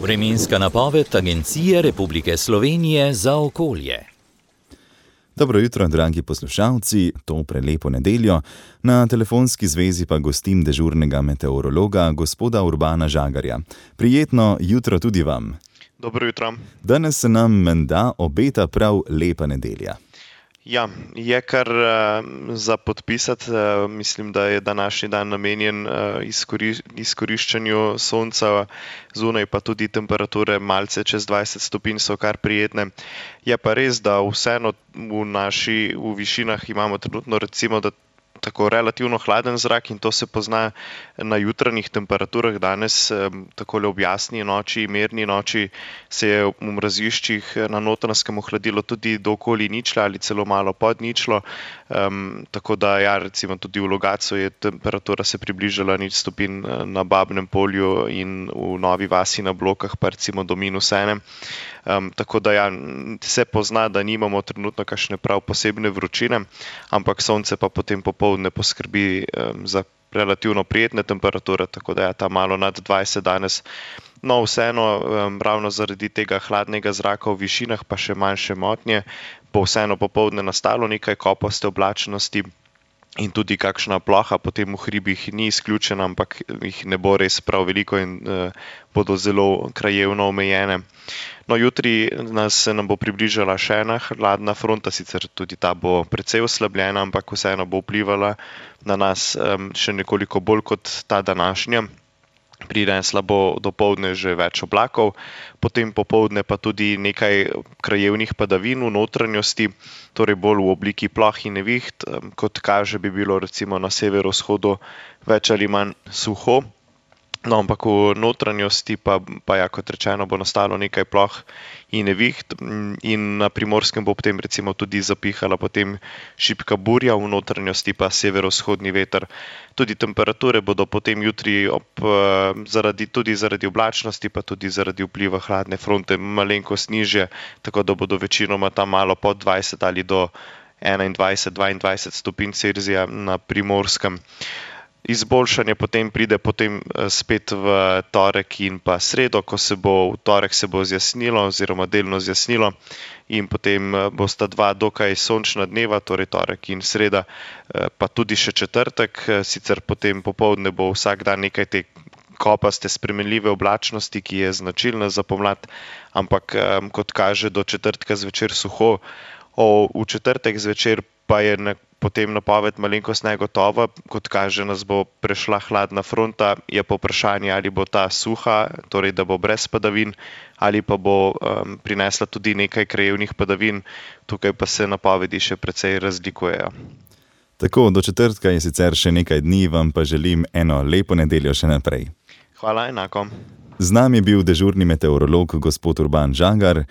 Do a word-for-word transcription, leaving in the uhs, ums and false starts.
Vremenska napoved Agencije Republike Slovenije za okolje. Dobro jutro, dragi poslušalci, to prelepo nedeljo. Na telefonski zvezi pa gostim dežurnega meteorologa, gospoda Urbana Žagarja. Prijetno jutro tudi vam. Dobro jutro. Danes se nam menda obeta prav lepa nedelja. Ja, je kar uh, za podpisati. Uh, mislim, da je današnji dan namenjen uh, izkori, izkoriščanju sonca, zunaj pa tudi temperature malce čez dvajset stopinj so kar prijetne. Je pa res, da vseeno v naši v višinah imamo trenutno recimo, da tako relativno hladen zrak in to se pozna na jutranjih temperaturah. Danes, takole ob jasni noči, mirni noči, se je v mraziščih na Notranjskem ohladilo tudi do okoli ničle ali celo malo pod ničlo. Um, tako da ja, recimo tudi v Logatcu je temperatura se približala nič stopinj, na Babnem polju in v Novi vasi na Blokah pa recimo do minus ene. Um, tako da ja, se pozna, da nimamo trenutno kakšne prav posebne vročine, ampak sonce pa potem popoldne poskrbi um, za relativno prijetne temperature, tako da ja, ta malo nad dvajset danes. No, vseeno, um, ravno zaradi tega hladnega zraka v višinah pa še manjše motnje, bo vseeno popoldne nastalo nekaj kopaste oblačnosti in tudi kakšna ploha potem v hribih ni izključena, ampak jih ne bo res prav veliko in uh, bodo zelo krajevno omejene. No, jutri nas se nam bo približala še ena hladna fronta, sicer tudi ta bo precej oslabljena, ampak vseeno bo vplivala na nas um, še nekoliko bolj kot ta današnja. Prinesla bo dopoldne že več oblakov, potem popoldne pa tudi nekaj krajevnih padavin v notranjosti, torej bolj v obliki ploh in neviht, kot kaže bi bilo recimo na severovzhodu več ali manj suho. No, ampak v notranjosti pa, pa ja, kot rečeno, bo nastalo nekaj ploh in neviht in na Primorskem bo potem recimo tudi zapihala potem šibka burja, v notranjosti pa severovzhodni veter. Tudi temperature bodo potem jutri ob, zaradi, tudi zaradi oblačnosti, pa tudi zaradi vpliva hladne fronte malenkost nižje, tako da bodo večinoma tam malo pod dvajset ali do enaindvajset do dvaindvajset stopinj Celzija na Primorskem. Izboljšanje potem pride potem spet v torek in pa sredo, ko se bo v torek se bo zjasnilo oziroma delno zjasnilo in potem bosta dva dokaj sončna dneva, torej torek in sreda, pa tudi še četrtek, sicer potem popoldne bo vsak dan nekaj te kopaste spremenljive oblačnosti, ki je značilna za pomlad, ampak kot kaže do četrtka zvečer suho. O, v četrtek zvečer pa je ne, potem napoved malenkost negotova, kot kaže nas bo prešla hladna fronta, je pa vprašanje, ali bo ta suha, torej da bo brez padavin, ali pa bo um, prinesla tudi nekaj krajevnih padavin, tukaj pa se napovedi še precej razlikujejo. Tako, do četrtka je sicer še nekaj dni, vam pa želim eno lepo nedeljo še naprej. Hvala, enako. Z nami je bil dežurni meteorolog gospod Urban Žagar.